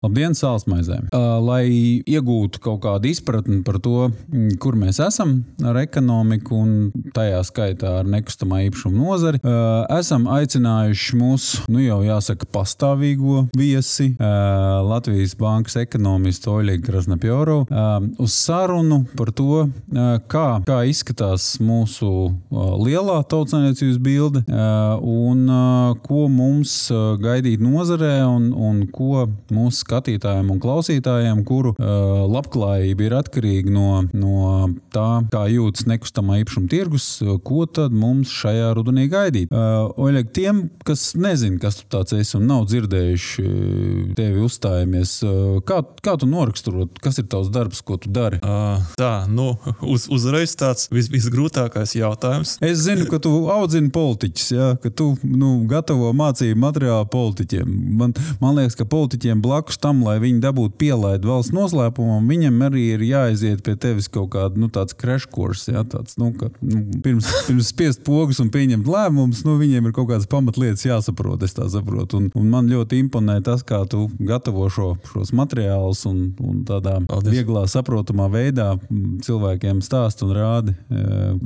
Labdien, sālsmaizēm! Lai iegūtu kaut kādu izpratni par to, kur mēs esam ar ekonomiku un tajā skaitā ar nekustamā īpašuma nozari, esam aicinājuši mūsu, jau jāsaka, pastāvīgo viesi, Latvijas bankas ekonomistu Oļegu Krasnopjorovu, uz sarunu par to, kā izskatās mūsu lielā tautsaimniecības bilde un ko mums gaidīt nozarē un ko mūsu skatītājiem un klausītājiem, kuru labklājība ir atkarīga no tā, kā jūtas nekustamā īpašuma tirgus, ko tad mums šajā rudenī gaidīt. Oļeg, tiem, kas nezin, kas tu tāds esi un nav dzirdējuši tevi uzstājamies, kā tu noraksturot, kas ir tavs darbs, ko tu dari? Uzreiz tāds visgrūtākais jautājums. Es zinu, ka tu audzini politiķus, ja? Ka tu gatavo mācību materiālu politiķiem. Man liekas, ka politiķiem blakus tam, lai viņi dabūtu pielaidu valsts noslēpumam, viņam arī ir jāaiziet pie tevis kaut kādu, tāds crash course, ja? Tāds, pirms spiest pogas un pieņemt lēmumus, viņiem ir kaut kādas pamatlietas jāsaprot, es tā saprotu. Un man ļoti imponē tas, kā tu gatavo šos materiālus un tādā vieglā saprotamā veidā cilvēkiem stāst un rādi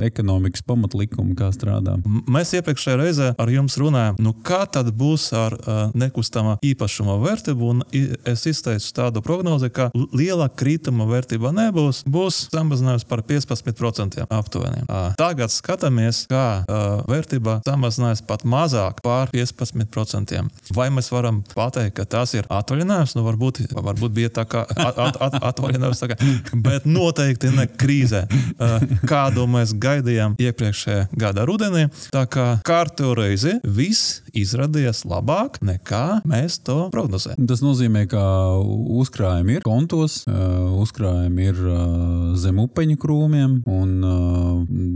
ekonomikas pamatlikumu, kā strādā. Mēs iepriekšējā reizē ar jums runājam, kā tad būs ar nekustamā īpašuma vērtību, un es izteicu tādu prognozi, ka liela krituma vērtība nebūs, būs samazinājums par 15% aptuveni. Tagad skatāmies, kā vērtība samazinājums pat mazāk par 15%. Vai mēs varam pateikt, ka tas ir atvaļinājums? Varbūt bija tā kā atvaļinājums, bet noteikti ne krīzē. Kādu mēs gaidījām iepriekšējā gada rudenī, tā kā kārtu reizi viss izrādījās labāk nekā mēs to prognozējam. Tas nozīmē, ka uzkrājumi ir kontos, uzkrājumi ir zem upeņu krūmiem un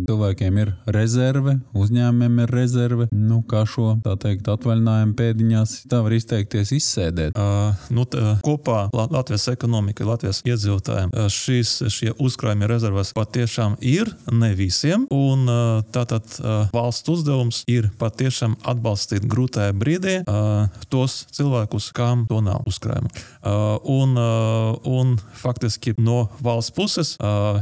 cilvēkiem ir rezerve, uzņēmumiem ir rezerve. Kā šo, tā teikt, atvaļinājumu pēdiņās, tā var izteikties, izsēdēt. Kopā Latvijas ekonomika, Latvijas iedzīvotājiem šie uzkrājumi rezervas patiešām ir, ne visiem, un tātad valsts uzdevums ir patiešām atbalstīt grūtajā brīdī tos cilvēkus, kam to nav uzkrājumu. Un faktiski no valsts puses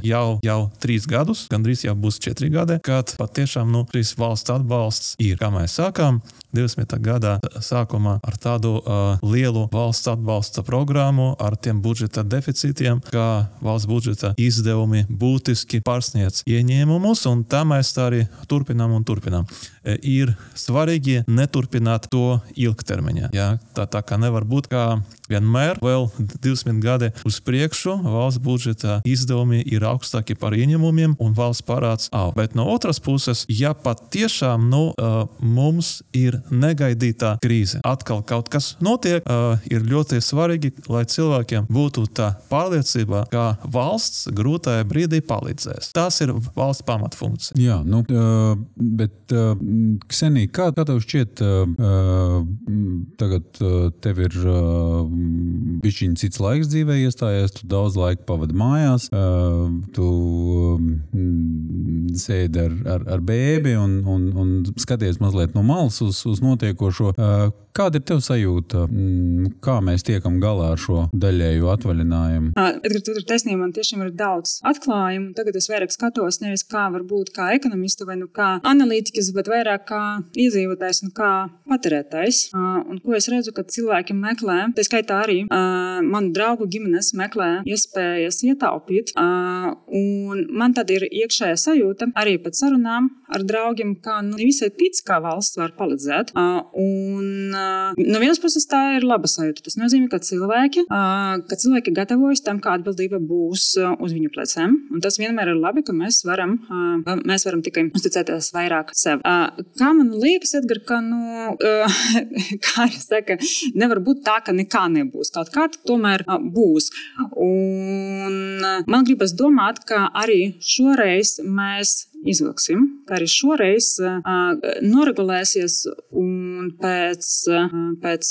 jau 3 gadus, gandrīz jau būs 4 gadi, kad patiešām šīs valsts atbalsts ir. Kā mēs sākām 20. gadā sākumā ar tādu lielu valsts atbalsta programmu, ar tiem budžeta deficītiem, kā valsts budžeta izdevumi būtiski pārsniedz ieņēmumus, un tā mēs tā arī turpinām. Ir svarīgi neturpināt to ilgtermiņā. Ja? Tā kā nevar būt, kā vienmēr vēl 20 gadi uz priekšu valsts budžeta izdevumi ir augstāki par ieņēmumiem un valsts parāds aug. Bet no otras puses, ja pat tiešām mums ir negaidītā krīze, atkal kaut kas notiek, ir ļoti svarīgi, lai cilvēkiem būtu tā pārliecība, ka valsts grūtajā brīdī palīdzēs. Tas ir valsts pamatfunkcija. Jā, bet Ksenija, kā tev šķiet, tagad tev ir bišķiņ cits laiks dzīvē iestājies, tu daudz laika pavadi mājās, tu sēdi ar bēbi un skaties mazliet no malas uz notiekošo. Kāda ir tev sajūta? Kā mēs tiekam galā ar šo daļēju atvaļinājumu? Edgar, tu ir taisnība, man tiešām ir daudz atklājumu. Tagad es vairāk skatos nevis kā varbūt kā ekonomista vai kā analītikas, bet vairāk kā iedzīvotājs un kā patērētājs. Un ko es redzu, ka cilvēki meklē, tā skaitā arī manu draugu ģimenes meklē iespējas ietaupīt. Un man tad ir iekšējā sajūta arī pēc sarunām ar draugiem, ka visai tic, kā valsts var palīdzēt. No vienas puses tā ir laba sajūta. Tas nozīmē, ka cilvēki gatavojas tam, kā atbildība būs uz viņu pleciem. Un tas vienmēr ir labi, ka mēs varam tikai uzticēties vairāk sev. Kā man liekas, Edgar, ka, kā es saku, nevar būt tā, ka nekā nebūs. Kaut kā tomēr būs. Un man gribas domāt, ka arī šoreiz mēs izvilksim, ka arī šoreiz noregulēsies un pēc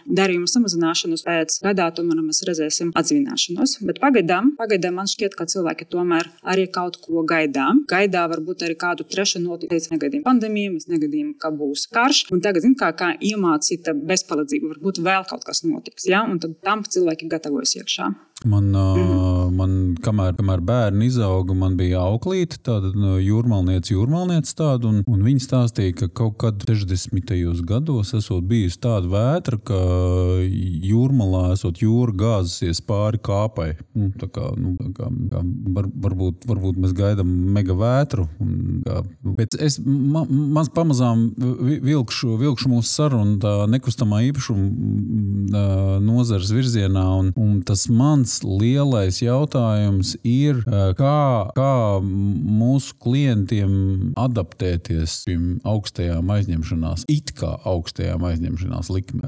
darījuma samazināšanas pēc gadā tomēr mēs redzēsim atzvināšanos. Bet pagaidām man šķiet, ka cilvēki tomēr arī kaut ko gaidām. Gaidā varbūt arī kādu trešu notikt. Mēs negaidījām pandēmiju, mēs negaidījām, ka būs karš. Un tagad, kā iemācīta bezpalīdzība, varbūt vēl kaut kas notiks. Ja? Un tad tam cilvēki gatavojas iekšā. Man kamēr bērni izauga, man bija auklīte, tāda jūrmalniece tāda, un viņi stāstīja, ka kaut kad 60. gados esot bijusi tāda vētra, ka jūrmalā esot jūra gāzusies pāri kāpai. Varbūt mēs gaidām mega vētru. Bet es pamazām vilkšu mūsu sarunu tā nekustamā īpašuma nozares virzienā, un tas mans lielais jautājums ir, kā mūsu klientiem adaptēties šīm augstajām aizņemšanās, augstajām aizņemšanās likme.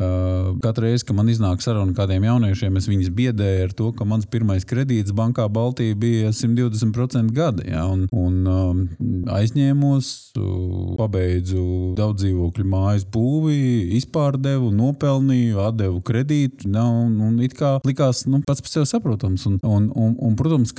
Katru reizi, kad man iznāk saruna kādiem jauniešiem, es viņus biedēju ar to, ka mans pirmais kredīts bankā Baltija bija 120% gada, ja, un aizņēmos, pabeidzu daudz dzīvokļu mājas būvi, izpārdevu, nopelnīju, atdevu kredītu, un it kā likās, pats par sevi saprotams. Un protams,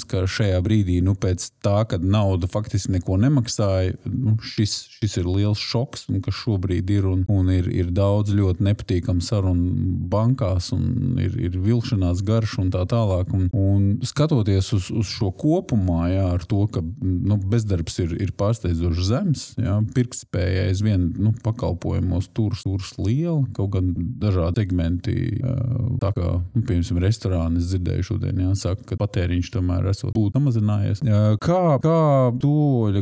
ka šajā brīdī, pēc tā, kad nauda faktiski neko nemaksāja, šis ir liels šoks, un kas šobrīd ir, un ir daudz ļoti nepatīkams sarunu bankās, un ir vilkšanās garš un tā tālāk. Un skatoties uz šo kopumā, jā, ar to, ka bezdarbs ir pārsteidzoši zems, jā, pirktspēja aizvien pakalpojumos turas liela, kaut gan dažādi segmenti, tā kā, piemēram, restorāni, es dzirdēju šodien, jā, saka, ka patēriņš tomēr esot būtu samazinājies. Kā tu,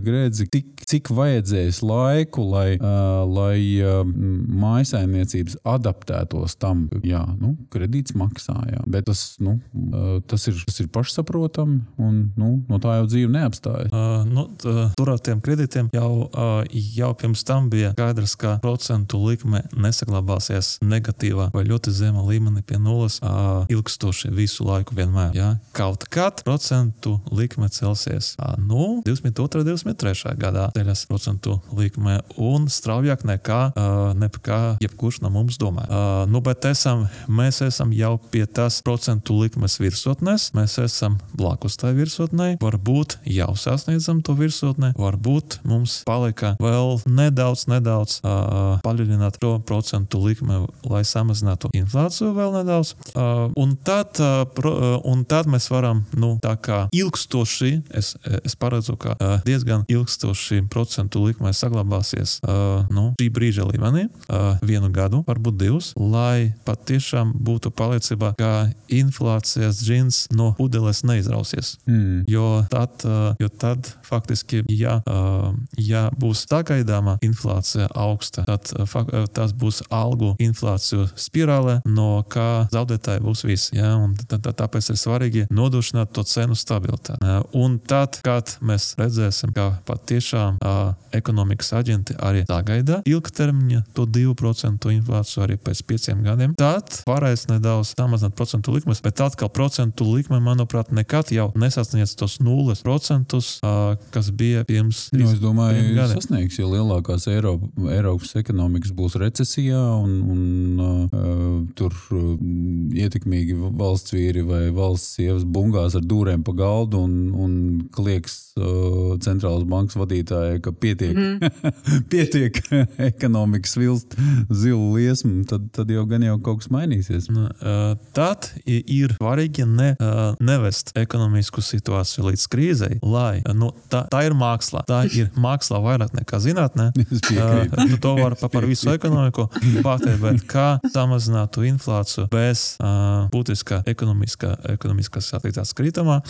Gredzi, cik vajadzēs laiku, lai mājasaimniecības adaptētos tam, jā, kredīts maksā, jā, bet tas ir pašsaprotami, un no tā jau dzīve neapstājas. Tur ar tiem kredītiem jau pirms tam bija skaidrs, ka procentu likme nesaglabāsies negatīvā vai ļoti zema līmenī pie nulles ilgstoši visu laiku vienmēr. Ja? Kaut kad procentu likme celsies. 22. 23. gadā ceļas procentu likme un straujāk nekā jebkurš no mums domā. Bet mēs esam jau pie tās procentu likmes virsotnes, mēs esam blakus tai virsotnei, varbūt jau sasniedzam to virsotni, varbūt mums palika vēl nedaudz paļuļināt to procentu likme, lai samazinātu inflāciju vēl nedaudz. Un tad mēs varam, tā kā ilgstoši, es paredzu, ka diezgan ilgstoši procentu likme saglabāsies šī brīža līmenī, 1 gadu, varbūt 2, lai patiešām būtu pārliecība, ka inflācijas džins no pudeles neizrausies. Jo tad faktiski, ja būs sagaidāma inflācija augsta, tad tas būs algu inflāciju spirāle, no kā zaudētāji būs visi. Ja? Un tāpēc ir svarīgi nodrošināt to cenu stabilitāti. Un tad, kad mēs redzēsim, ka patiešām ekonomikas aģenti arī sagaida ilgtermiņa to 2% inflāciju arī pēc 5 gadiem, tad varēs nedaudz samazināt procentu likmes, bet atkal procentu likme, manuprāt, nekad jau nesasniedz tos 0%, kas bija pirms 3 gadiem. Es domāju, sasniegs, ja lielākās Eiropas ekonomikas būs recesijā un tur ietekmīgi valsts vīri vai valsts sievas bungās ar dūrēm pa galdu un klieks centrālas bankas vadītāja, ka pietiek ekonomikas vilst zilu liesmu, tad jau gan jau kaut kas mainīsies. Tad ir svarīgi nevest ekonomisku situāciju līdz krīzei, lai tā ir māksla. Tā ir māksla vairāk nekā zinātnē. To var par visu ekonomiku pateikt, bet kā samazinātu inflāciju bez būtiskā ekonomiskās attīstības kritumā,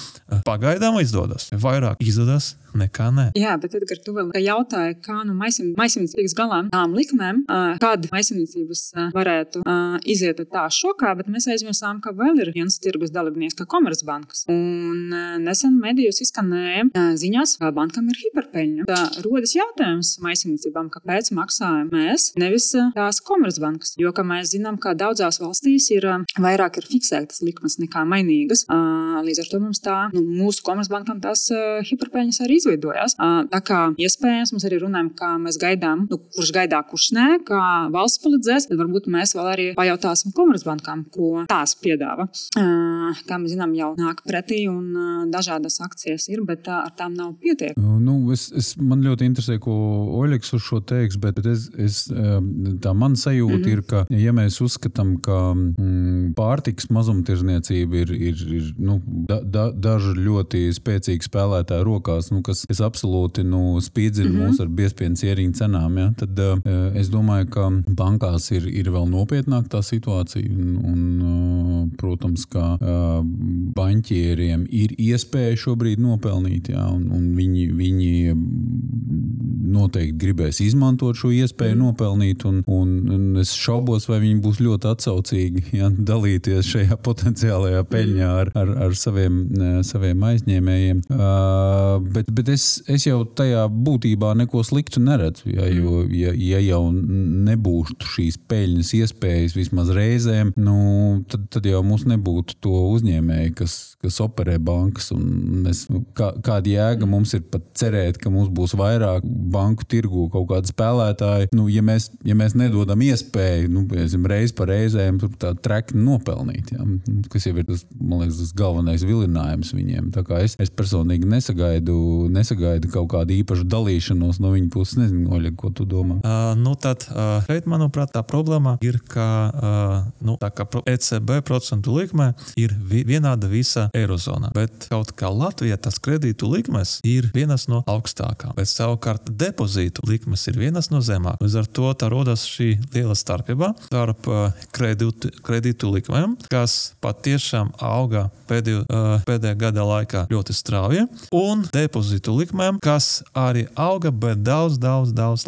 pagaidām izdodas. Vairāk izdodas nekā nē. Jā, bet Edgar, tu vēl jautāji, kā maisaimniecības galā tām likmēm, kad maisaimniecības varētu iziet tā šokā, bet mēs aizmirsām, ka vēl ir viens tirgus dalībnieks, kā Komercbankas. Un nesen medijos izskanēja ziņās, ka bankam ir hiperpeļņa. Tā rodas jautājums maisaimniecībām, kāpēc maksājam mēs, nevis tās Komercbankas. Jo, kā mēs zinām, ka daudzās valstīs vairāk ir fiksētas likmes nekā mainīgas. Līdz ar to mums mūsu Komercbankam tās hiperpeļņas arī izveidojās. Tā kā iespējams mums arī runājam, kā mēs gaidām, kurš gaidā, kurš nē, kā valsts palīdzēs, tad varbūt mēs vēl arī pajautāsim Komercbankām, ko tās piedāva. Kā mēs zinām, jau nāk pretī un dažādas akcijas ir, bet ar tām nav pietiek. Man ļoti interesē, ko Oļegs uz šo teiks, bet tā man sajūta ir, ka, ja mēs uzskatām, ka pārtikas mazumtirdzniecība ir daži ļoti spēcīgi spēlētāji rokās, kas absolūti spīdzina mūs ar biezpienas ieriņu cenām, ja? Tad es domāju, ka bankās ir vēl nopietnāk tā situācija un protams, ka baņķieriem ir iespēja šobrīd nopelnīt, ja? Un viņi noteikti gribēs izmantot šo iespēju nopelnīt un es šaubos, vai viņi būs ļoti atsaucīgi, ja? Dalīties šajā potenciālajā peļņā ar saviem aizņēmējiem. Bet es jau tajā būtībā neko sliktu neredzu, ja, jo ja jau nebūtu šīs peļņas iespējas vismaz reizēm, tad jau mums nebūtu to uzņēmēju, kas operē bankas, un kāda jēga mums ir pat cerēt, ka mums būs vairāk banku tirgu kaut kādi spēlētāji, ja mēs nedodam iespēju, reiz pa reizēm tā trekni nopelnīt, ja, kas jau ir tas, man liekas, tas galvenais vilinājums viņiem. Tā kā es personīgi nesagaidu kaut kādu īpašu dalīšanos no viņa puses. Nezinu, Oļeg, ko tu domā? Šeit, manuprāt, tā problēma ir, ka ECB procentu likme ir vienāda visa Eirozonā, bet kaut kā Latvijā tas kredītu likmes ir vienas no augstākām, bet savukārt depozītu likmes ir vienas no zemāk. Līdz ar to tā rodas šī liela starpība starp kredītu likmēm, kas patiešām auga pēdējā gada laikā ļoti strauji, un depozītu likmēm, kas arī auga, bet daudz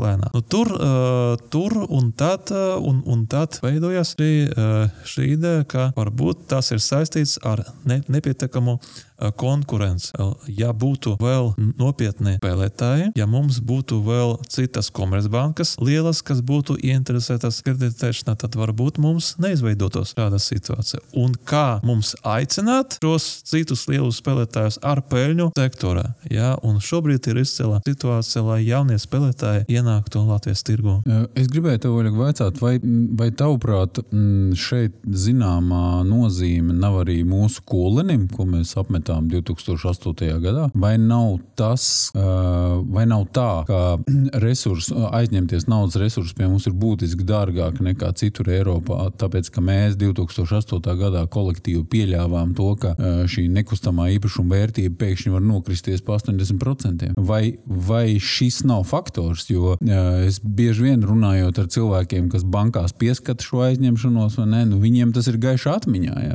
lēnāk. Tur un tad veidojas šī ideja, ka varbūt tas ir saistīts ar nepietiekamu konkurence. Ja būtu vēl nopietni spēlētāji, ja mums būtu vēl citas komercbankas lielas, kas būtu ieinteresētas kreditēšanā, tad varbūt mums neizveidotos šāda situācija. Un kā mums aicināt šos citus lielus spēlētājus ar peļņu sektorā? Ja? Un šobrīd ir izcēlā situācija, lai jaunie spēlētāji ienāktu Latvijas tirgu. Es gribēju tev, Oļeg, vaicāt, vai tavuprāt šeit zināmā nozīme nav arī mūsu kolenim, ko mēs apmetām 2008. gadā, vai nav tā, ka aizņemties naudas resursus pie mums ir būtiski dārgāk nekā citur Eiropā, tāpēc, ka mēs 2008. gadā kolektīvi pieļāvām to, ka šī nekustamā īpašuma vērtība pēkšņi var nokristies pa 80%. Vai šis nav faktors, jo es bieži vien runājot ar cilvēkiem, kas bankās pieskata šo aizņemšanos, vai ne, viņiem tas ir gaiši atmiņā, ja?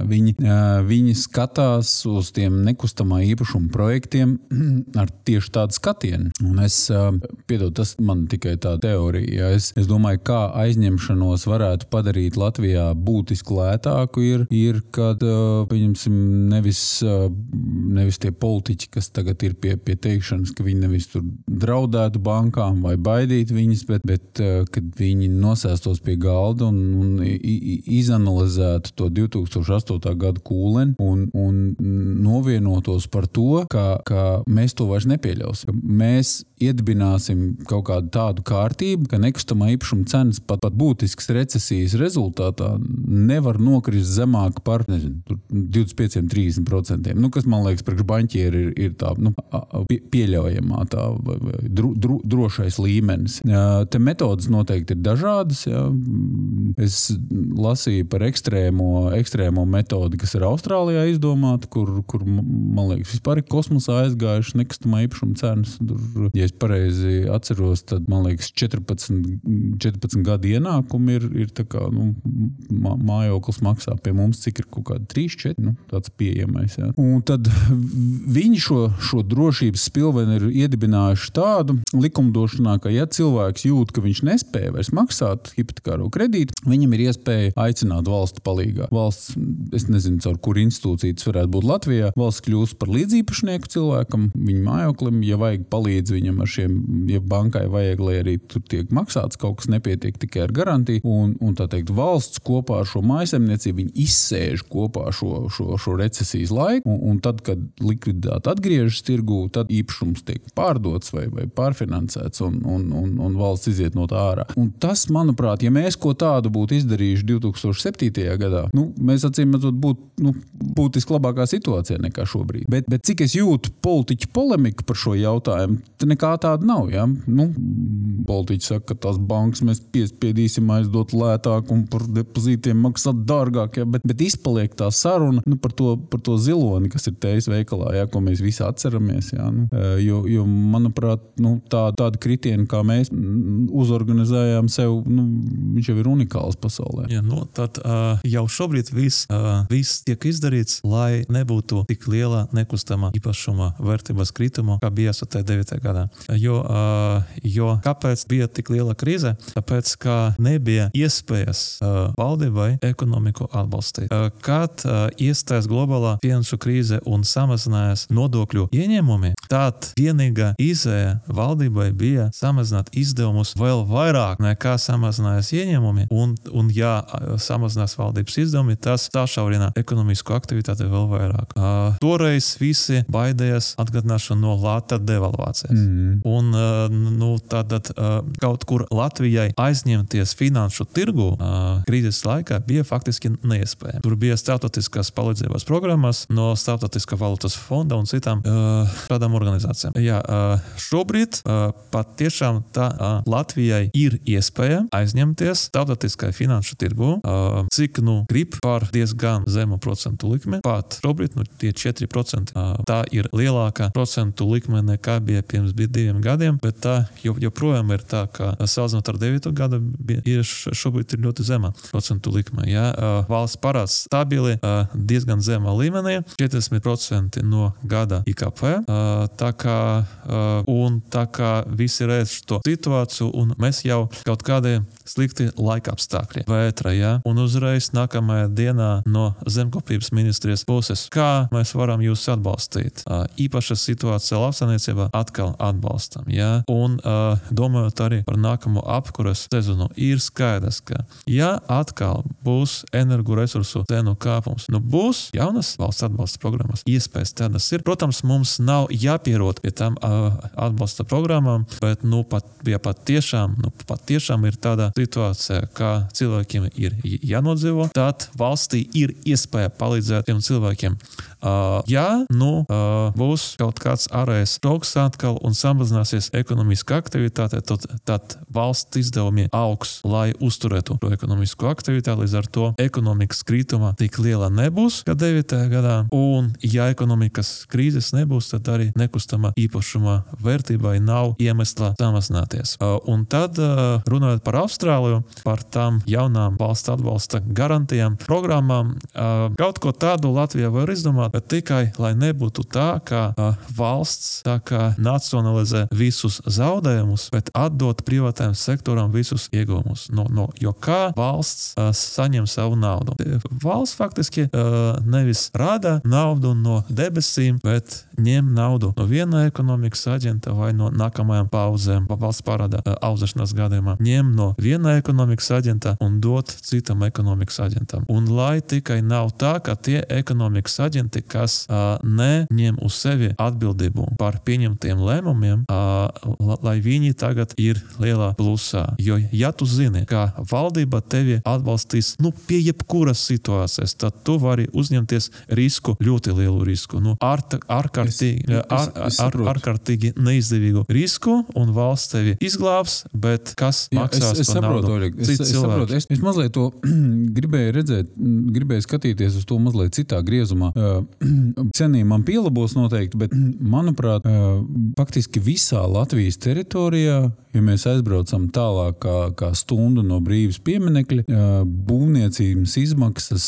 Viņi skatās uz tiem nekustamā īpašuma projektiem ar tieši tādu skatienu. Un tas man tikai tā teorija. Ja? Es domāju, kā aizņemšanos varētu padarīt Latvijā būtiski lētāku ir kad, pieņemsim, nevis tie politiķi, kas tagad ir pie teikšanas, ka viņi nevis tur draudētu bankām vai baidītu viņas, bet kad viņi nosēstos pie galda un izanalizētu to 2008. gada kūleni un novienotos par to, ka mēs to vairs nepieļausim. Mēs iedibināsim kaut kādu tādu kārtību, ka nekustamā īpašuma cenas pat būtiskas recesijas rezultātā nevar nokrist zemāk par 25-30%. Kas, man liekas, priekš baņķieri ir tā pieļaujamā tā drošais līmenis. Te metodas noteikti ir dažādas. Ja. Es lasīju par ekstrēmo metodi, kas ir Austrālijā izdomāta, kur man liekas, vispār ir kosmosā aizgājuši nekustamā īpašuma cenas. Tur, ja es pareizi atceros, tad, man liekas, 14 gadu ienākumi ir tā kā, mājoklis maksā pie mums, cik ir kaut kādi 3-4, tāds pieejamais. Jā. Un tad viņi šo drošības spilveni ir iedibinājuši tādu likumdošanā, ka ja cilvēks jūt, ka viņš nespēja vairs maksāt hipotekāro kredītu, viņam ir iespēja aicināt valstu palīgā. Valsts, es nezinu, caur kur institūcija tas varētu būt Latvijā, valsts kļūst par līdzīpašnieku cilvēkam, viņa mājoklim, ja vajag palīdz viņam ar šiem ja bankai vajag, lai arī tur tiek maksāts, kaut kas nepietiek tikai ar garantiju, un tā teikt, valsts kopā ar šo mājasemniecību, viņi izsēž kopā šo recesijas laiku, un tad, kad likviditāte atgriežas tirgū, tad īpašums tiek pārdots vai pārfinansēts, un valsts iziet no tā ārā. Un tas, manuprāt, ja mēs ko tādu būtu izdarījuši 2007. Gadā, mēs acīmredzot būtu būtiski labākā situācijā nekā šobrīd. Bet cik es jūtu politiķu polemiku par šo jautājumu, nekā tāda nav. Ja? Politiķi saka, ka tās bankas mēs piespiedīsim aizdot lētāk un par depozītiem maksāt dārgāk, ja? bet izpaliek tā saruna par to ziloni, kas ir tejas veikalā, ja? Ko mēs visi atceramies. Ja? Jo manuprāt, tāda kritiena, kā mēs uzorganizējām sev, viņš jau ir unikāls pasaulē. Ja, tad jau šobrīd viss tiek izdarīts, lai nebūtu tik liela nekustamā īpašuma vērtības krituma, kā bija 9. gadā. Jo kāpēc bija tik liela krīze? Tāpēc, ka nebija iespējas valdībai ekonomiku atbalstīt. Kad iestājas globālā finanšu krīze un samazinājās nodokļu ieņēmumi, tad vienīgā izēja valdībai bija samazināt izdevumus vēl vairāk nekā samazinājās ieņēmumi, un ja samazinās valdības izdevumi, tas sašaurina ekonomisko aktivitāti vēl vairāk. Toreiz visi baidējās atgādināšanu no lata devalvācijas. Un tātad kaut kur Latvijai aizņemties finanšu tirgu krīzes laikā bija faktiski neiespējami. Tur bija starptautiskās palīdzības programmas no Starptautiskā valūtas fonda un citām šādām organizācijām. Jā, šobrīd pat tiešām Latvijai ir iespēja aizņemties starptautiskai finanšu tirgu, cik grib par diezgan zemu procentu likmi. Pat šobrīd tie 4%. Tā ir lielākā procentu likme nekā bija pirms 2 gadiem, bet tā joprojām ir tā, ka salīdzinot ar 9. gadu šobrīd ir ļoti zema procentu likme. Ja? Valsts parāds stabili diezgan zemā līmenī, 40% no gada IKP. Tā kā visi redz šo situāciju un mēs jau kaut kādi slikti laika apstākļi vētra, ja? Un uzreiz nākamajā dienā no zemkopības ministrijas puses, kā mēs varam jūs atbalstīt. Īpaša situācija lauksaimniecībā atkal atbalstam, ja? Un domājot arī par nākamo apkuras sezonu, ir skaidrs, ka ja atkal būs energoresursu cenu kāpums, būs jaunas valsts atbalsta programmas, iespējas tādas ir. Protams, mums nav jāpierod pie tām atbalsta programmām, bet pat tiešām ir tāda situācija, ka cilvēkiem ir jānodzīvo, tad valstī ir iespēja palīdzēt tiem cilvēkiem. Būs kaut kāds ārējais šoks atkal un samazināsies ekonomiska aktivitāte, tad valsts izdevumi augs, lai uzturētu šo ekonomisko aktivitāti, līdz ar to ekonomikas krituma tik liela nebūs, kā 9. gadā, un ja ekonomikas krīzes nebūs, tad arī nekustamā īpašuma vērtībai nav iemesla samazināties. Un tad, runājot par Austrāliju, par tām jaunām valsts atbalsta garantijām, programmām, kaut ko tādu Latvija var izdomāt, bet tikai, lai nebūtu tā, ka valsts tā kā nacionalizē visus zaudējumus, bet atdot privātajam sektoram visus ieguvumus. Jo kā valsts saņem savu naudu? Valsts faktiski nevis rada naudu no debesīm, bet ņem naudu no viena ekonomikas aģenta vai no nākamajām paudzēm, valsts parāda audzēšanās gadījumā. Ņem no viena ekonomikas aģenta un dot citam ekonomikas aģentam. Un lai tikai nav tā, ka tie ekonomikas aģenti, kas neņem uz sevi atbildību par pieņemtiem lēmumiem, lai viņi tagad ir lielā plusā. Jo, ja tu zini, ka valdība tevi atbalstīs pie jebkuras situācijas, tad tu vari uzņemties risku, ļoti lielu risku. Ārkārtīgi neizdevīgu risku, un valsts tevi izglābs, bet kas maksās par naudu? Cits cilvēks. Es mazliet to gribēju skatīties uz to mazliet citā griezumā. Cenī man pielabos noteikti, bet manuprāt, faktiski visā Latvijas teritorijā, ja mēs aizbraucam tālāk kā stundu no Brīvības pieminekļa, būvniecības izmaksas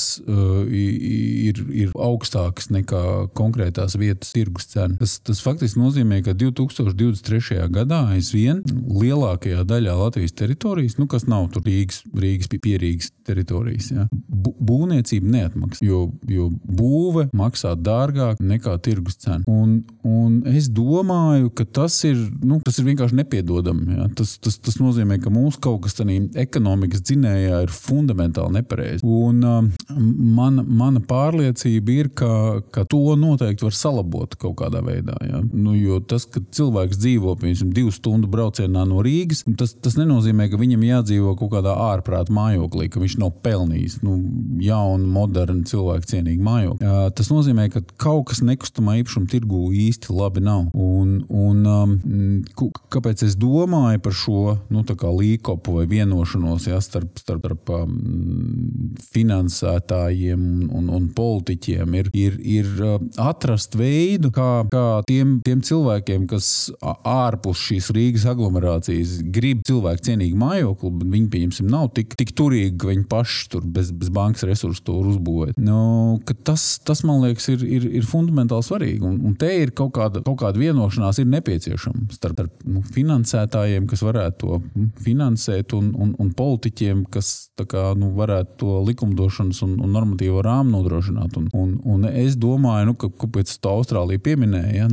ir augstākas nekā konkrētās vietas tirgus cena. Tas faktiski nozīmē, ka 2023. gadā aizvien lielākajā daļā Latvijas teritorijas, kas nav tur Rīgas pierīgas teritorijas, ja, būvniecība neatmaksā, jo būve maksā dārgāk nekā tirgus cena. Un es domāju, ka tas ir vienkārši nepiedodami. Ja. Tas nozīmē, ka mūsu kaut kas tādā ekonomikas dzinējā ir fundamentāli nepareizi. Un mana pārliecība ir, ka to noteikti var salabot kaut kādā veidā. Ja. Jo tas, ka cilvēks dzīvo, piemēram, 2 stundu braucienā no Rīgas, tas nenozīmē, ka viņam jādzīvo kaut kādā ārprāta mājoklī, ka viņš nav pelnījis jaunu, modernu, cilvēku cienīgu mājokli. Tas nozīmē, ka kaut kas nekustamā īpašuma tirgū īsti labi nav. Un kāpēc es domāju par šo, tā kā līkopu vai vienošanos, ja, starp finansētājiem un politiķiem ir atrast veidu, kā tiem cilvēkiem, kas ārpus šīs Rīgas aglomerācijas grib cilvēku cienīgu mājokli, bet viņi, pieņemsim, nav tik turīgi, ka viņi paši tur bez bankas resursu to uzbūvēt. Ka tas, man liekas, ir fundamentāli svarīgi. Un te ir kaut kāda vienošanās ir nepieciešama starp finansētājiem, kas varētu to finansēt, un politiķiem, kas varētu to likumdošanas un normatīvo rāmu nodrošināt. Un es domāju, kāpēc to Austrālija pieminēja.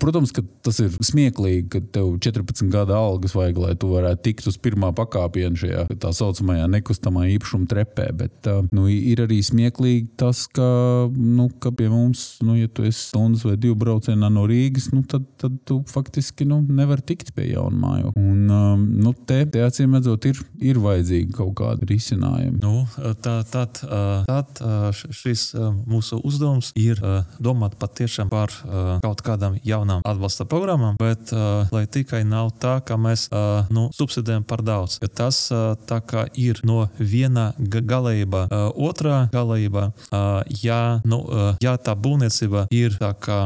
Protams, ka tas ir smieklīgi, ka tev 14 gada algas vajag, lai tu varētu tikt uz pirmā pakāpiena šajā tā saucamajā nekustamā īpašuma trepē, bet ir arī smieklīgi tas, ka pie mums, ja tu esi stundas vai 2 braucienā no Rīgas, tad tu faktiski nevar tikt pie jauna mājokļa. Un te acīm redzot ir vajadzīgi kaut kādi risinājumi. Tad šis mūsu uzdevums ir domāt patiešām par kaut kādām jaunām atbalsta programmām, bet lai tikai nav tā, ka mēs subsidējam par daudz. Ja tas tā kā ir no viena galējība, otrā galējība, ja tā būvniecība ir tā kā,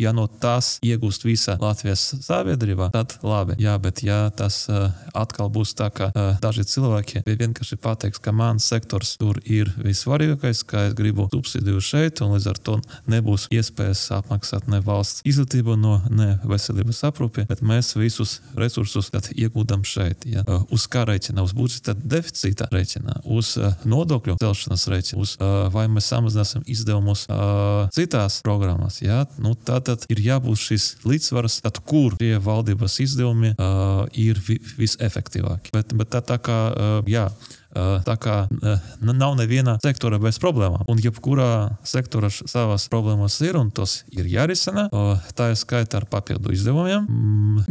ja no tās iegūst visa Latvijas sabiedrība, tad labi. Jā, bet ja tas atkal būs tā, ka daži cilvēki vienkārši pateiks, ka mans sektors tur ir vissvarīgākais, ka es gribu subsidiju šeit, un līdz ar to nebūs iespējas apmaksāt ne valsts izglītību, ne veselības aprūpi, bet mēs visus resursus iegūdam šeit. Ja. Uz kā rēķina? Uz budžeta deficīta rēķina, uz nodokļu celšanas rēķina, vai mēs samazināsim izdevumus citās programmās. Ja. Tātad ir jābūt šis līdzsvars, kur tie valdības izdevumi ir visefektīvāki. Bet tā kā, tā kā nav neviena sektora bez problēmām. Un jebkurā sektora savas problēmas ir, un tos ir jārisina. Tā ir skaita ar papildu izdevumiem.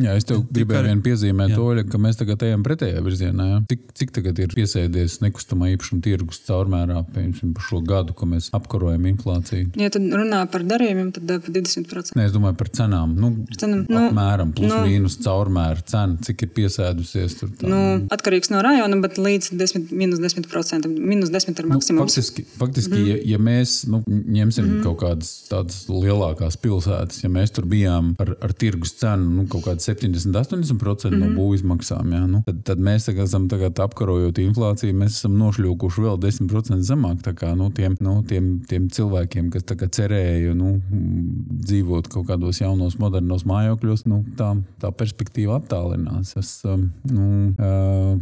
Jā, es tev gribēju vien piezīmēt, Oļa, ka mēs tagad ejam pretējā virzienā. Ja? Cik tagad ir piesēdies nekustamā īpašuma tirgus caurmērā, piemēram, par šo gadu, ko mēs apkarojam inflāciju? Ja tad runā par darījumiem, tad par 20%. Nē, es domāju par cenām. Apmēram plus mīnus caurmēra cena, cik ir piesēdusies tur tā. Atkarīgs no rajona, bet līdz -10%, -10% ar maksimums. Faktiski ja mēs ņemsim kaut kādas tādas lielākās pilsētas, ja mēs tur bijām ar tirgus cenu kaut kāds 70-80% no būvizmaksām, ja, tad mēs esam tagad apkarojot inflāciju, mēs esam nošļūkuši vēl 10% zemāk. Tā kā tiem cilvēkiem, kas tā kā cerēja dzīvot kaut kādos jaunos, modernos mājokļos, tā perspektīva attālinās.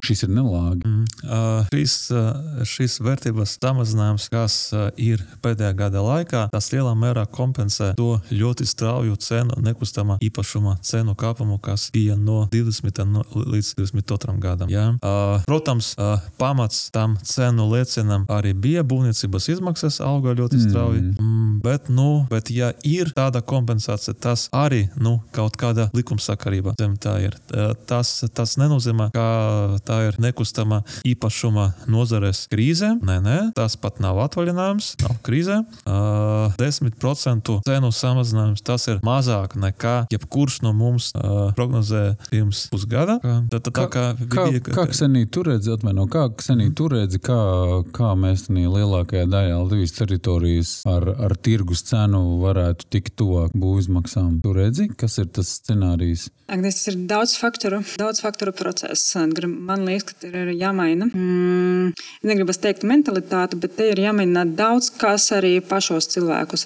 Šis ir nelāgi. Šis vērtības samazinājums, kas ir pēdējā gada laikā, tas lielā mērā kompensē to ļoti strauju cenu, nekustamā īpašuma cenu kāpumu, kas bija no 20. līdz 22. gadam. Ja? Protams, pamats tam cenu lēcienam arī bija būvniecības izmaksas auga ļoti strauji, bet ja ir tāda kompensācija, tas arī kaut kāda likumsakarība zem tā ir. Tas nenozīmē, ka tā ir nekustama īpašuma nozares krīze. Nē, tas pat nav atvaļinājums, nav krīze. 10% cenu samazinājums, tas ir mazāk nekā jebkurš no mums prognozē pirms pusgada. Kā Ksenija tu redzi, kā mēs lielākajā daļā Latvijas teritorijas ar tirgus cenu varētu tikt tuvāk būvizmaksām? Tu redzi, kas ir tas scenārijs? Tas ir daudz faktoru process. Man liekas, ka ir jāmaina negribas teikt mentalitāti, bet te ir jāmēģina daudz kas arī pašos cilvēkus.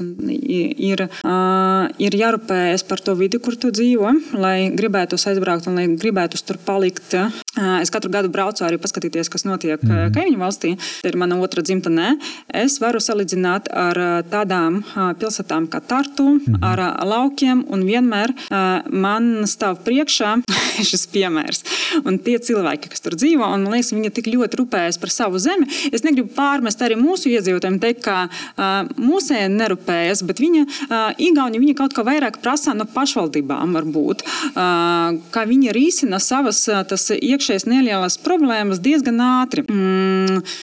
Ir jārūpējas par to vidi, kur tu dzīvo, lai gribētos aizbraukt un lai gribētos tur palikt. Es katru gadu braucu arī paskatīties, kas notiek kaimiņu valstī. Tā ir mana otra dzimtenē. Es varu salīdzināt ar tādām pilsētām kā Tartu, ar laukiem, un vienmēr man stāv priekšā šis piemērs. Un tie cilvēki, kas tur dzīvo, un man liekas, viņi tik ļoti rūpējas par savu zemi. Es negribu pārmest arī mūsu iedzīvotājiem teikt, ka mūsēji nerūpējas, bet Igauni kaut kā vairāk prasa no pašvaldībām varbūt, kā viņi risina savas tas iekšējas nelielas problēmas diezgan ātri.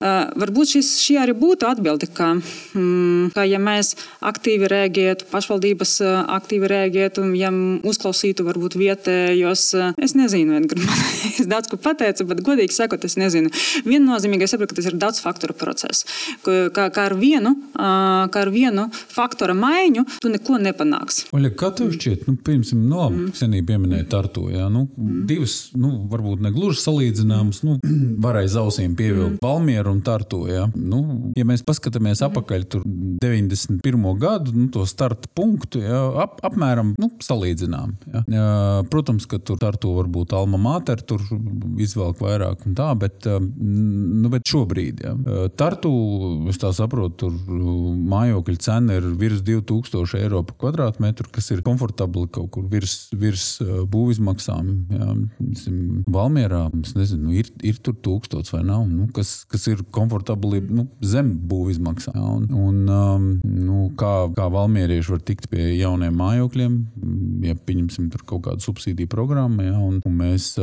Varbūt šī arī būtu atbildi, ka ja mēs aktīvi rēģētu, pašvaldības aktīvi rēģētu, ja uzklausītu varbūt vietējos, es nezinu, Edgar, es daudz ko pateicu, bet godīgi sakot, es nezinu. Viennozīmīgi es saprotu, ka tas ir daudz faktoru process. Kā ar vienu faktora maiņu tu neko nepanāks. Oļa, kā tev šķiet, pirms senī pieminēja Tartu, divas, varbūt ne gluži salīdzināmas, varēja zausīm pievilkt Valmieru un Tartu, ja mēs paskatāmies apakaļ tur 91. gadu, to starta punktu, apmēram, salīdzinām, Protams, ka tur Tartu varbūt alma mater, tur izvelk vairāk un tā, bet šobrīd, Tartu, es tā saprotu, tur mājokļu cena ir virs 2000 eiro par kvadrātmetru, kas ir komfortabli kaut kur virs būvizmaksām. Valmierā, es nezinu, ir tur 1000 vai nav, kas ir komfortabli zem būvizmaksām. Kā valmierieši var tikt pie jauniem mājokļiem, ja pieņemsim tur kaut kādu subsīdiju programmu, un mēs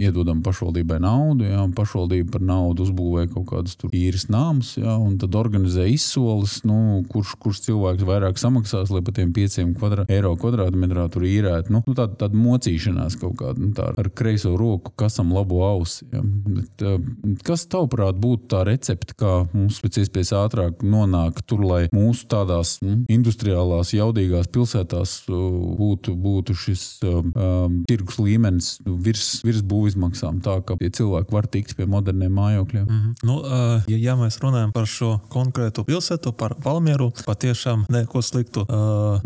iedodam pašvaldībai naudu, un pašvaldība par naudu uzbūvē kaut kādus tur īres nāmus, un tad organizē izsoles, kurš cilvēks vairāk samaksās, lai pa tiem 5 eiro kvadrātmetrā tur īrēt. Tāda mocīšanās kaut kāda, ar kreiso roku kasam labo ausi. Bet, kas tavuprāt būtu tā recepte, kā mums pēc iespējas ātrāk nonāk tur, lai mūsu tādās industriālās, jaudīgās pilsētās būtu šis tirgus līmenis virs būvizmaksām, tā ka tie cilvēki var tikt pie moderniem mājokļiem? Ja mēs runājam par šo konkrētu pilsētu, par Valmieru, patiešām neko sliktu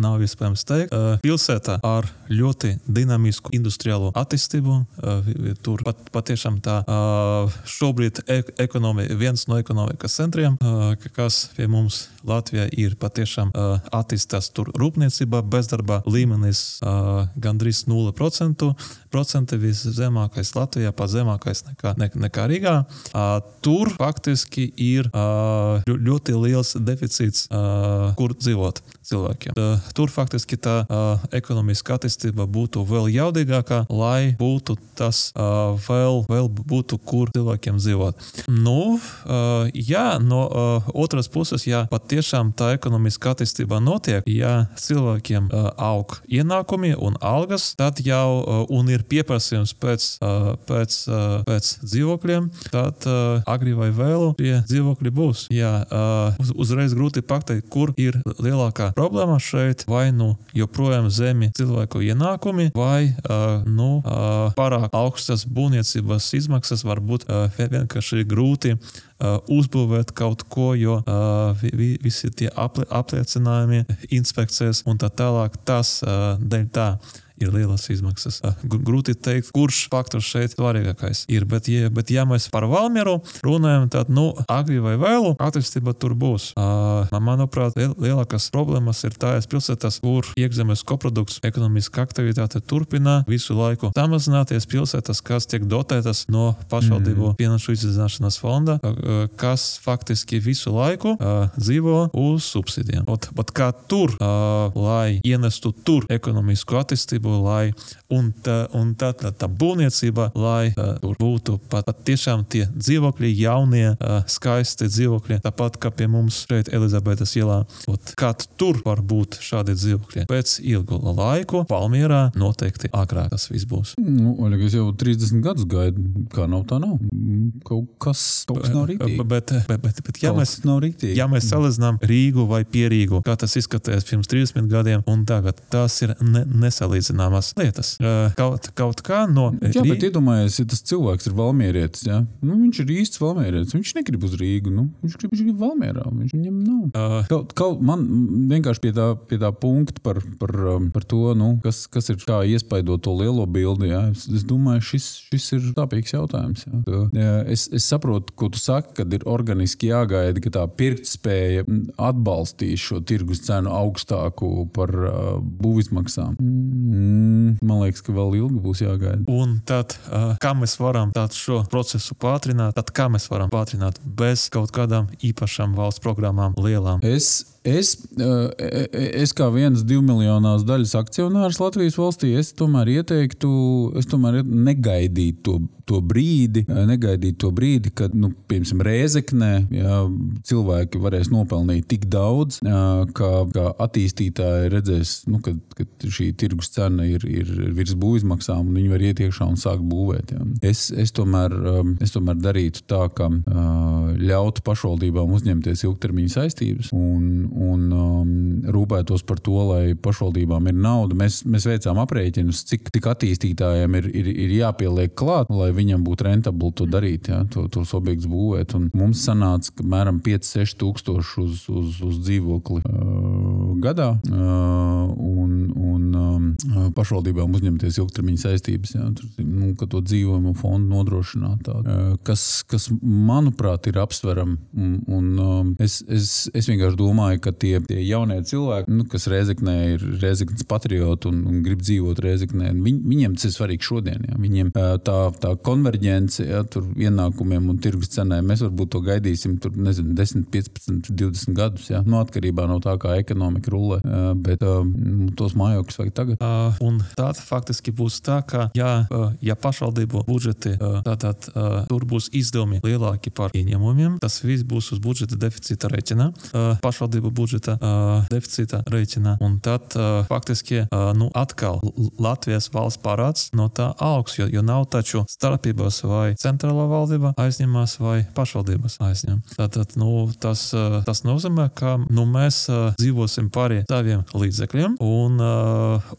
nav iespējams teikt. Pilsēta ar ļoti dinamisku industriālo attīstību, tur patiešām tā šobrīd viens no ekonomikas centriem, kas pie mums Latvijā ir patiešām attīstās tur rūpniecība, bezdarba līmenis gandrīz 0%, viszemākais Latvijā, pat zemākais nekā Rīgā. Tur faktiski ir ļoti liels deficīts, kur dzīvot cilvēkiem. Tur faktiski tā ekonomiska attīstība būtu vēl jaudīgākā, lai būtu tas vēl būtu, kur cilvēkiem dzīvot. No otras puses, ja patiešām tā ekonomiska attīstība notiek, ja cilvēkiem aug ienākumi un algas, tad jau un ir pieprasījums pēc dzīvokļiem, tad agri vai vēlu tie dzīvokļi būs. Uzreiz grūti pateikt, kur ir lielākā problēma šeit, vai joprojām zemi cilvēku ienākumi, vai pārāk augstas būvniecības izmaksas, varbūt vienkārši grūti uzbūvēt kaut ko, jo visi tie apliecinājumi, inspekcijas un tā tālāk, tas dēļ tā ir lielas izmaksas. Grūti teikt, kurš faktors šeit svarīgākais ir, bet ja mēs par Valmieru runājam, tad, agri vai vēlu attīstība tur būs. Manuprāt, lielākās problēmas ir tājas pilsētas, kur iekšzemes koprodukts, ekonomiska aktivitāte turpina visu laiku samazināties, pilsētas, kas tiek dotētas no pašvaldību finanšu izdzīvināšanas fonda, kas faktiski visu laiku dzīvo uz subsīdiem. Bet kā tur, lai ienestu tur ekonomisku attīstību, un tā būvniecība, lai tur būtu pat tiešām tie dzīvokļi, jaunie, skaisti dzīvokļi, tāpat kā pie mums šeit Elizabete Elizabetes ielā. Kad tur var būt šādi dzīvokļi. Pēc ilgu laiku Valmierā noteikti agrāk tas viss būs. Oļa, es jau 30 gadus gaidu, kā nav tā nav. Kaut kas nav rītīgi. Bet ja mēs salīdzinām Rīgu vai Pierīgu, kā tas izskatījās pirms 30 gadiem, un tagad tās ir nesalīdzināmas lietas. Kaut kā no Jā, bet iedomājies, ja tas cilvēks ir valmierietis, ja? Viņš ir īsts valmierietis, viņš negrib uz Rīgu, viņš grib Valmierā, viņam nav. Man vienkārši pie tā punkta par to, kas ir kā iespaidot to lielo bildi, ja? Es domāju, šis ir tāpīgs jautājums. Ja? Es saprotu, ko tu saki, kad ir organiski jāgaida, ka tā pirktspēja atbalstīs šo tirgus cenu augstāku par būvizmaksām. Man liekas, ka vēl ilgi būs jāgaida. Un tad, kā mēs varam šo procesu pātrināt, tad kā mēs varam pātrināt bez kaut kādām īpašām valsts programmām lielām? Es kā vienas 2 miljonās daļas akcionārs Latvijas valstī, es tomēr ieteiktu, negaidīt to brīdi, kad, piemēram, Rēzeknē, cilvēki varēs nopelnīt tik daudz, kā attīstītāji redzēs, kad šī tirgus cena ir virs būvizmaksām, un viņi var iet iekšā un sākt būvēt. Ja. Es tomēr darītu tā, ka ļautu pašvaldībām uzņemties ilgtermiņa saistības un rūpētos par to, lai pašvaldībām ir nauda. Mēs veicām aprēķinus, cik attīstītājiem ir jāpieliek klāt, lai viņam būtu rentabli to darīt, ja, tos objektus būvēt. Un mums sanāca, ka mēram 5-6 tūkstoši uz dzīvokli gadā un pašvaldībām uzņemties ilgtermiņa saistības, ja, ka to dzīvojumu fondu nodrošināt. Kas manuprāt, ir apsveram. Un es vienkārši domāju, ka tie jaunie cilvēki, kas Rēzeknē ir Rēzeknes patrioti un grib dzīvot Rēzeknē, viņiem tas ir svarīgi šodien. Ja. Viņiem tā konverģence, ja, tur ienākumiem un tirgus cenai, mēs varbūt to gaidīsim tur, 10, 15, 20 gadus, ja, atkarībā no tā, kā ekonomika rullē, bet tos mājokļus vajag tagad. Un tāda faktiski būs tā, ka ja pašvaldību budžeti, tātad tur būs izdevumi lielāki par ieņēmumiem, tas viss būs uz budžeta deficīta rēķina, pašvaldību budžeta deficīta rēķina, un tad faktiski atkal Latvijas valsts parāds no tā augs, jo nav taču starpības vai centrālā valdība aizņemās vai pašvaldības aizņem. Tātad, tas nozīmē, ka mēs dzīvosim pāri saviem līdzekļiem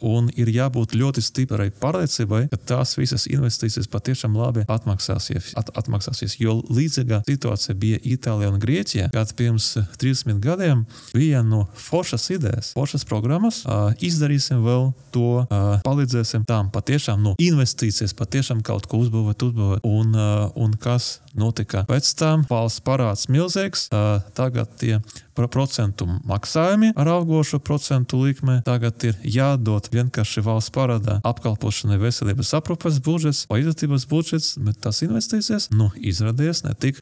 un ir jābūt ļoti stiprai pārliecībai, ka tās visas investīcijas patiešām labi atmaksāsies. Jo līdzīga situācija bija Itālijā un Grieķijā, kad pirms 30 gadiem bija foršas idejas, foršas programmas, izdarīsim vēl to, palīdzēsim tām patiešām investīcijas, patiešām kaut ko uzbūvēt, un kas notika pēc tam, valsts parāds milzīgs, tagad tie procentu maksājumi ar augošu procentu likme, tagad ir jādod vienkārši valsts parādā apkalpošanai veselības aprūpes budžets vai izglītības budžets, bet tas investīcijas, izrādījās ne tik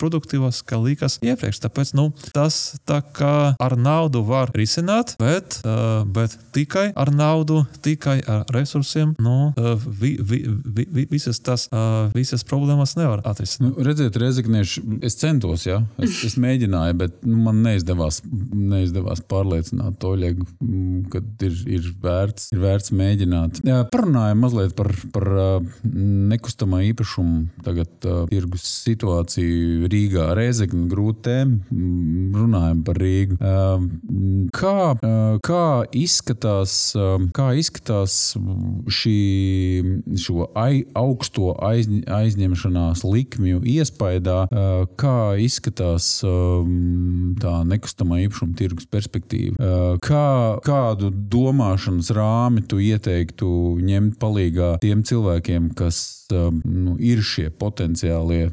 produktīvās, kā likās iepriekš. Tāpēc, tas tā kā ar naudu var risināt, bet tikai ar naudu, tikai ar resursiem, visas problēmas nevar atrisināt. Redziet, Rēzeknieši, es centos, ja? Es mēģināju, bet man neizdevās pārliecināt Oļegu, kad ir vērts mēģināt. Parunājam mazliet par nekustamā īpašumu tagad tirgus situāciju Rīgā. Rēzekne grūti tēma, runājam par Rīgu. Kā izskatās šo augsto aizņemšanās likmju iespaidā, kā izskatās tā nekustamā īpašuma tirgus perspektīva. Kādu domāšanas rāmi tu ieteiktu ņemt palīgā tiem cilvēkiem, kas ir šie potenciālie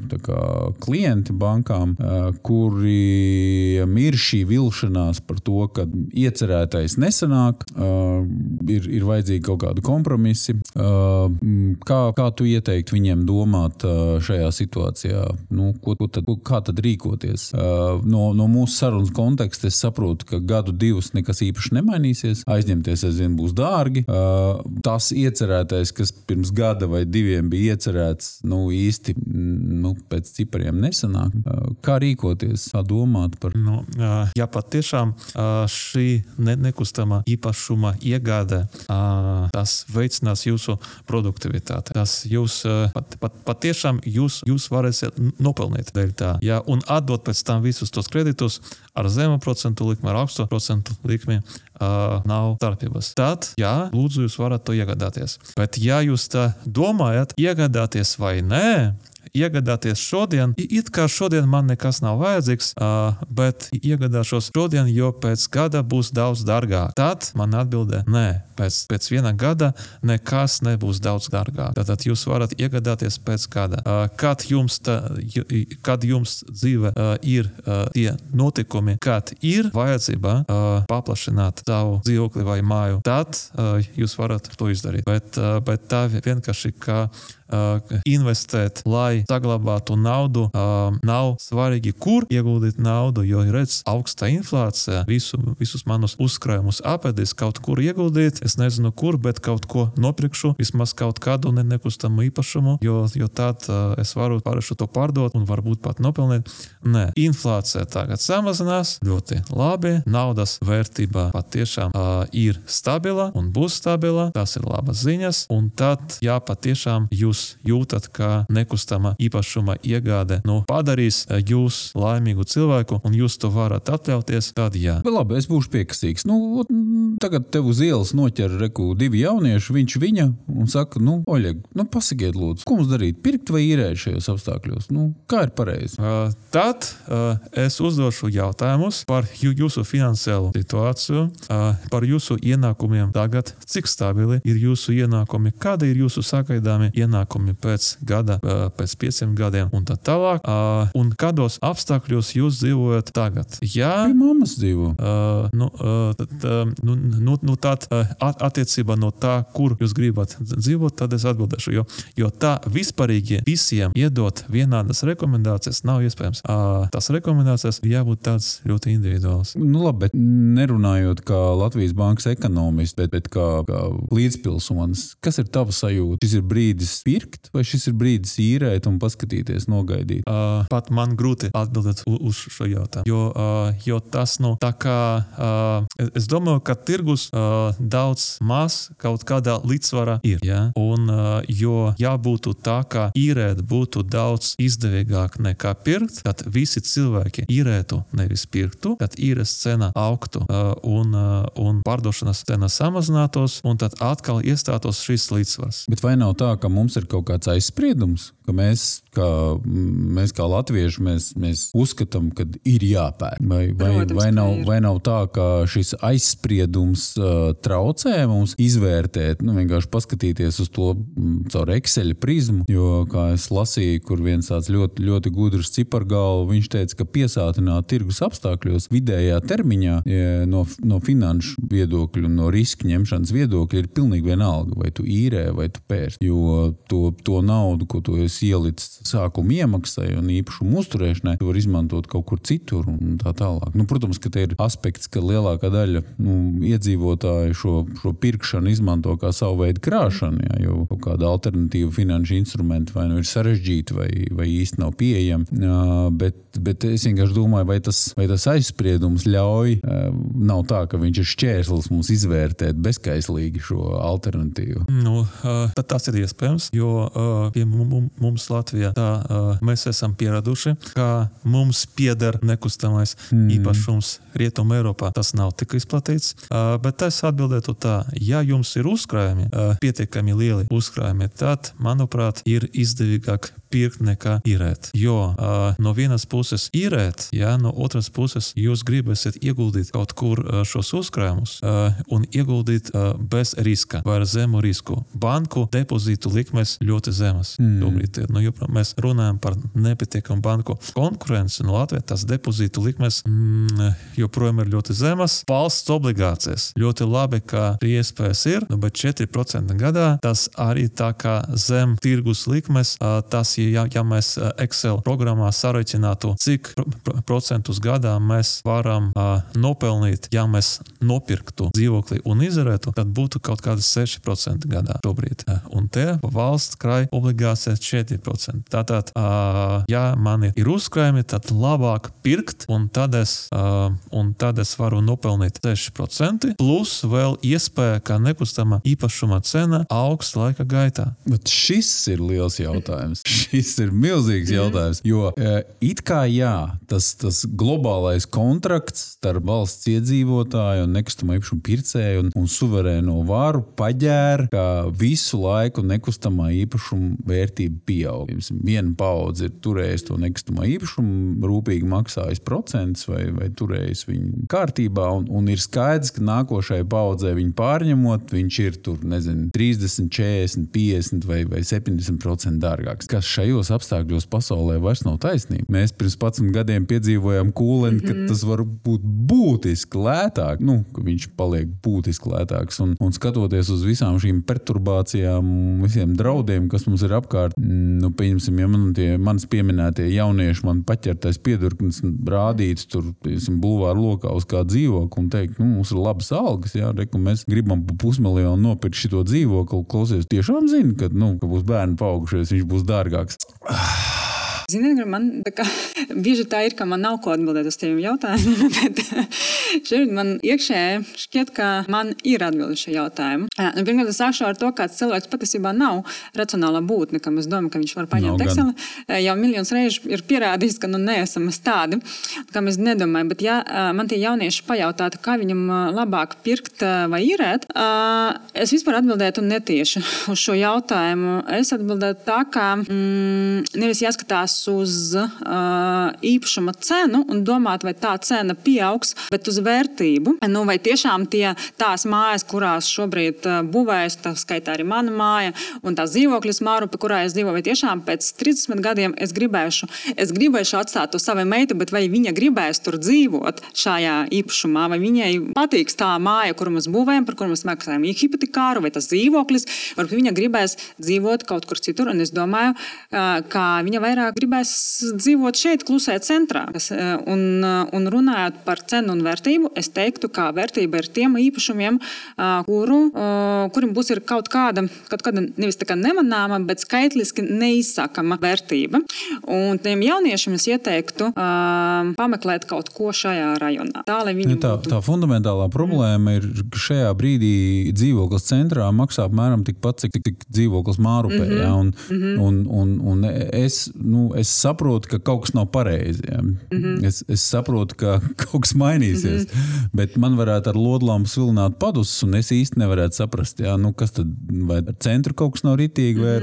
klienti bankām, kuriem ir šī vilšanās par to, ka iecerētais nesanāk, ir vajadzīgi kaut kādi kompromisi. Kā tu ieteiktu viņiem domāt šajā situācijā? Kā tad rīkoties? No mūsu sarunas konteksta es saprotu, ka 1-2 nekas īpaši nemainīsies. aizņemties aizvien būs dārgi. Tas iecerētais, kas pirms gada vai 2 bija iecerēts, īsti pēc cipariem nesanāk. Kā rīkoties, kā domāt par? Ja patiešām šī nekustamā īpašuma iegāde, tas veicinās jūsu produktivitāti. Tas jūs patiešām jūs varēsiet nopelnīt dēļ tā. Ja, un atdot pēc tam visus tos kreditus ar zemu procentu likmi, ar augstu procentu likmi, nav starpības. Tad, lūdzu, jūs varat to iegādāties. Bet ja jūs tā domājat, iegādāties vai nē, iegādāties šodien, it kā šodien man nekas nav vajadzīgs, bet iegādāšos šodien, jo pēc gada būs daudz dārgāk. Tad man atbildē, nē, pēc 1 gada nekas nebūs daudz dārgāk. Tātad jūs varat iegādāties pēc gada. Kad jums dzīve ir tie notikumi, kad ir vajadzība paplašināt savu dzīvokli vai māju, tad jūs varat to izdarīt. Bet tā vienkārši kā investēt, lai saglabātu naudu, nav svarīgi, kur ieguldīt naudu, jo redz augsta inflācija, visus manus uzkrājumus apēdīs, kaut kur ieguldīt, es nezinu kur, bet kaut ko nopirkšu, vismaz kaut kādu nekustamu īpašumu, jo tad es varu pārēšu to pārdot un varbūt pat nopelnīt. Nē, inflācija tagad samazinās, ļoti labi, naudas vērtība patiešām ir stabila un būs stabila, tas ir labas ziņas, un tad, patiešām jūs jūtat, ka nekustama īpašuma iegāde padarīs jūs laimīgu cilvēku, un jūs to varat atļauties, tad jā. Bet labi, es būšu piekasīgs. Tagad tev uz ielas noķer 2 jaunieši, viņš viņa, un saka, Oļeg, pasakiet lūdzu, ko mums darīt, pirkt vai īrēt šajos apstākļos? Kā ir pareizi? Tad es uzdošu jautājumus par jūsu finansiālu situāciju, par jūsu ienākumiem tagad, cik stabili ir jūsu ienākumi, kāda ir jūsu sagaidāmi ienākumi pēc gada, pēc 5 gadiem un tā tālāk, un kādos apstākļos jūs dzīvojat tagad. Ja pie mammas dzīvo. Tad attiecībā no tā, kur jūs gribat dzīvot, tad es atbildēšu, jo tā vispārīgi visiem iedot vienādas rekomendācijas nav iespējams. Tas rekomendācijas jābūt tāds ļoti individuāls. Labi, bet nerunājot kā Latvijas bankas ekonomists, bet kā līdzpilsonis, kas ir tava sajūta? Šis ir brīdis pirkt, vai šis ir brīdis īrēt un paskatīties, nogaidīt? Pat man grūti atbildēt uz šo jautājumu, jo tas, tā kā, es domāju, ka tirgus daudz maz kaut kādā līdzsvarā ir, un ja būtu tā, ka īrēt būtu daudz izdevīgāk nekā pirkt, tad visi cilvēki īrētu, nevis pirktu, tad īres cena augtu un pārdošanas cena samazinātos, un tad atkal iestātos šis līdzsvars. Bet vai nav tā, ka mums ir kaut kāds aizspriedums, ka mēs kā latvieši, mēs uzskatām, ka ir jāpērk? Vai nav tā, ka šis aizspriedums traucē mums izvērtēt, vienkārši paskatīties uz to caur Excel prizmu, jo, kā es lasīju, kur viens tāds ļoti, ļoti gudrs cipargalvu, viņš teica, ka piesātināt tirgus apstākļos vidējā termiņā no finanšu viedokļu un no riska ņemšanas viedokļa ir pilnīgi vienalga, vai tu īrē, vai tu pērst, jo to naudu, ko tu esi ielicis sākuma iemaksai un īpašumu uzturēšanai, tu var izmantot kaut kur citur un tā tālāk. Protams, ka te ir aspekts, ka lielākā daļa iedzīvotāju šo pirkšanu izmanto kā savu veidu krāšanu, jo kaut kāda alternatīva finanšu instrumenti vai ir sarežģīti vai īsti nav pieejami, bet es vienkārši domāju, vai tas aizspriedums ļauj, nav tā, ka viņš ir šķērslis mums izvērtēt bezkaislīgi šo alternatīvu. Tad tas ir iespējams, jo pie mums Latvijā mēs esam pieraduši, ka mums pieder nekustamais īpašums Rietuma Eiropā. Tas nav tik izplatīts, bet es atbildētu tā, ja jums ir uzkrājumi, pietiekami lieli uzkrājumi, tad, manuprāt, ir izdevīgāk pirkt nekā īrēt. Jo no vienas puses īrēt, no otras puses jūs gribēsiet ieguldīt kaut kur šos uzkrājumus un ieguldīt bez riska vai ar zemu risku. Banku depozītu likmes ļoti zemas. Tobrīd ir. Mēs runājam par nepietiekamu banku konkurenci. Latvijā tas depozītu likmes joprojām ir ļoti zemas. Valsts obligācijas. Ļoti labi, ka iespējas ir, bet 4% gadā tas arī tā kā zem tirgus likmes, tas teorētiski, ja mēs Excel programmā sareiķinātu, cik procentus gadā mēs varam nopelnīt, ja mēs nopirktu dzīvokli un izarētu, tad būtu kaut kādas 6% gadā šobrīd. Un te valsts krāj obligācijas 4%. Tātad, ja man ir uzkrājumi, tad labāk pirkt, un tad es varu nopelnīt 6%, plus vēl iespēja, ka nekustama īpašuma cena augs laika gaitā. Bet šis ir liels jautājums. Šis ir milzīgs jautājums, jo it kā tas globālais kontrakts starp valsts iedzīvotāju un nekustamā īpašuma pircēju un suverēno varu paģēra, ka visu laiku nekustamā īpašuma vērtība pieaug. Viena paudze ir turējis to nekustamā īpašumu, rūpīgi maksājis procents vai turējis viņu kārtībā, un ir skaidrs, ka nākošajai paudzē viņu pārņemot, viņš ir tur, 30, 40, 50 vai 70% dārgāks. Kas šajos apstākļos pasaulē vairs nav taisnība. Mēs pirms 11 gadiem piedzīvojām kūleni, ka tas var būt būtiski lētāk, ka viņš paliek būtiski lētāks. Un skatoties uz visām šīm perturbācijām, visiem draudiem, kas mums ir apkārt, pieņemsim, ja manis pieminētie jaunieši man paķertais piedurknis rādīts tur, bulvāru lokā uz kā dzīvokli un teikt, mums ir labas algas, mēs gribam pa 500 000 nopirkt šito dzīvokli, klausies, tiešām zini, ka būs bērni paaugušies, viņš būs dārgāks. Ziniet, man bieži tā ir, ka man nav ko atbildēt uz tiem jautājumiem, bet šeit man iekšēji šķiet, ka man ir atbildi šie jautājumi. Pirmkārt, es sākšu ar to, kāds cilvēks patiesībā nav racionālā būtne, kam es domāju, ka viņš var paņemt Exceli. Jau miljonus reižu ir pierādījis, ka neesam tādi, kā mēs nedomājam. Bet ja man tie jaunieši pajautātu, kā viņam labāk pirkt vai īrēt, es vispār atbildētu netieši uz šo jautājumu. Es atbildētu tā, ka nevis jāskatās uz īpašuma cenu un domāt, vai tā cena pieaugs, bet uz vērtību. Vai tiešām tās mājas, kurās šobrīd būvējas, tā skaitā arī mana māja un tās dzīvokļas Mārupe, kurā es dzīvoju, vai tiešām pēc 30 gadiem es gribēšu atstāt to savai meitai, bet vai viņa gribēs tur dzīvot šajā īpašumā, vai viņai patiks tā māja, kuru mēs būvējam, par kuru mēs maksājam hipotekāru, vai tas dzīvoklis, varbūt viņa gribēs dzīvot kaut kur citur, un es domāju, ka viņa vairāk gribēs dzīvot šeit, klusē centrā. Un runājot par cenu un vērtību, es teiktu, ka vērtība ir tiem īpašumiem, kuriem būs ir kaut kāda nevis tā kā nemanāma, bet skaitliski neizsakama vērtība. Un tiem jauniešiem es ieteiktu pameklēt kaut ko šajā rajonā. Tā, lai viņi tā fundamentālā problēma ir, ka šajā brīdī dzīvoklis centrā maksā apmēram tikpat, cik dzīvoklis Mārupē. Un es saprotu, ka kaut kas nav pareizi. Es saprotu, ka kaut kas mainīsies. Bet man varētu ar lodlām svilināt padus, un es īsti nevarētu saprast, kas tad, vai ar centru kaut kas nav ritīgi, vai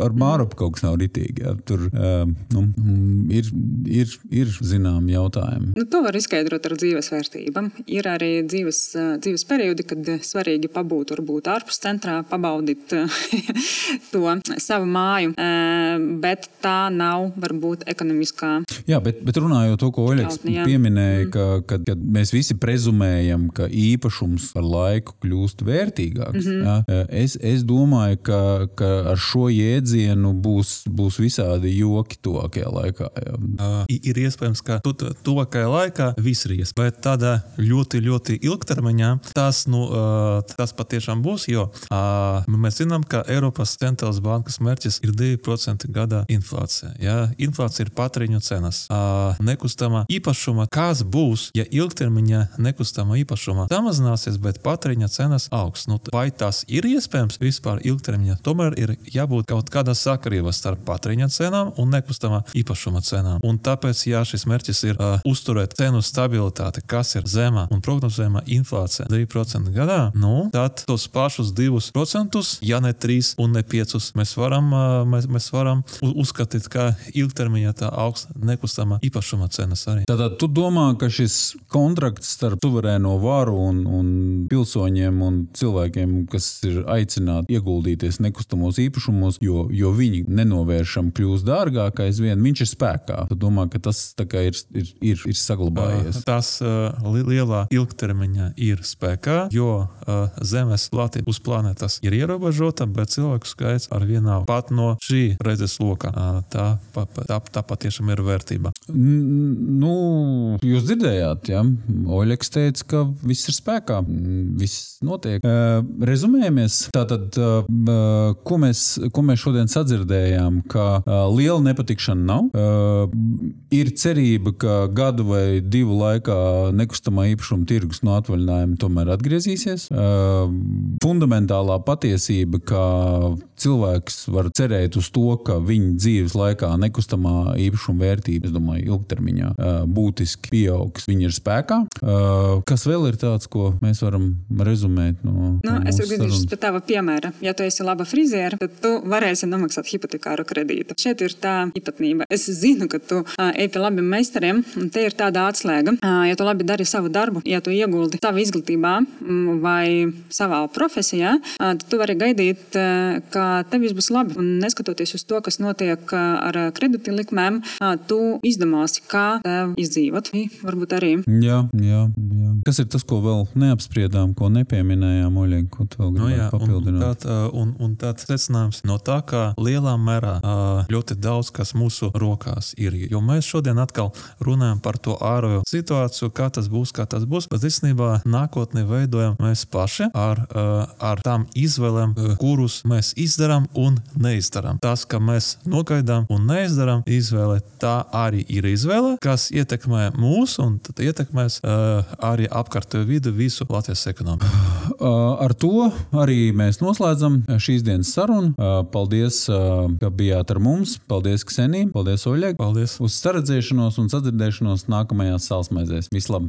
ar Mārupu kaut kas nav ritīgi. Tur ir zinām jautājumi. To var izskaidrot ar dzīves vērtībām. Ir arī dzīves periodi, kad svarīgi pabūt, varbūt ārpus centrā, pabaudīt to savu māju, bet tā nav varbūt ekonomiskā. Jā, bet runājot to, ko Oļegs pieminēja, ka mēs visi prezumējam, ka īpašums ar laiku kļūst vērtīgāks. Es domāju, ka ar šo jēdzienu būs visādi joki tuvākajā laikā. Ir iespējams, ka tuvākajā laikā viss ir iespējams, bet tādā ļoti, ļoti ilgtermiņā tas patiešām būs, jo mēs zinām, ka Eiropas centrālās bankas mērķis ir 2% gadā inflācija. Inflācija ir patēriņu cenas. Nekustamā īpašuma, kas būs, ja ilgtermiņā nekustamā īpašuma samazināsies, bet patēriņa cenas augs. Vai tas ir iespējams vispār ilgtermiņā? Tomēr ir jābūt kaut kādā sakarībā starp patēriņa cenām un nekustamā īpašuma cenām. Un tāpēc, ja šis mērķis ir uzturēt cenu stabilitāti, kas ir zemā un prognozējama inflācija 2% gadā, tad tos pašus 2%, ja ne 3 un ne 5, mēs varam uzskatīt kā ilgtermiņā tā augsta nekustama īpašuma cenas arī. Tātad tu domā, ka šis kontrakts starp suverēno varu un pilsoņiem un cilvēkiem, kas ir aicināti ieguldīties nekustamos īpašumos, jo viņi nenovēršam kļūst dārgāk aizvien, viņš ir spēkā. Tu domā, ka tas tā kā ir saglabājies? Tas lielā ilgtermiņā ir spēkā, jo zemes platība uz planētas ir ierobežota, bet cilvēku skaits ar vienā pat no šī redzes loka. Tā patiešām ir vērtība. Nu, jūs dzirdējāt, ja? Oļeks teica, ka viss ir spēkā, viss notiek. Rezumējamies. Tātad, ko mēs šodien sadzirdējām, ka liela nepatikšana nav. Ir cerība, ka gadu vai 2 laikā nekustamā īpašuma tirgus no atvaļinājuma tomēr atgriezīsies. Fundamentālā patiesība, ka cilvēks var cerēt uz to, ka viņa dzīves laikā nekustamā īpašuma vērtība, es domāju, ilgtermiņā būtiski pieaugs. Viņa ir spēkā. Kas vēl ir tāds, ko mēs varam rezumēt no es gribēšu pēc tava piemēra. Ja tu esi laba friziera, tad tu varēsi nomaksāt hipotekāru kredītu. Šeit ir tā īpatnība. Es zinu, ka tu ej pie labiem meistariem, un te ir tāda atslēga. Ja tu labi dari savu darbu, ja tu ieguldi savu izglītībā vai savā profesijā, tad tu vari gaidīt, ka tev viss būs labi. Un neskatoties uz to, kas notiek ar kredīti likmēm, tu izdomāsi, kā tev izdzīvot. Varbūt arī. Jā. Kas ir tas, ko vēl neapspriedām, ko nepieminējām, Oļeg, ko tu vēl gribētu papildināt? Un tāds secinājums no tā, ka lielā mērā ļoti daudz, kas mūsu rokās ir. Jo mēs šodien atkal runājam par to ārējo situāciju, kā tas būs, bet īstenībā nākotnē veidojam mēs paši ar tām izvēlēm, kurus mēs izdarām un neizdarām. Tas, ka mēs nogaidām un neizdarām izvēle, tā arī ir izvēle, kas ietekmē mūs un tad ietekmēs arī apkārtējo vidu, visu Latvijas ekonomiku. Ar to arī mēs noslēdzam šīs dienas sarunu. Paldies, ka bijāt ar mums. Paldies, Ksenija. Paldies, Oļeg. Paldies. Uz saredzēšanos un sadzirdēšanos nākamajās Sālsmaizēs. Vislabāk!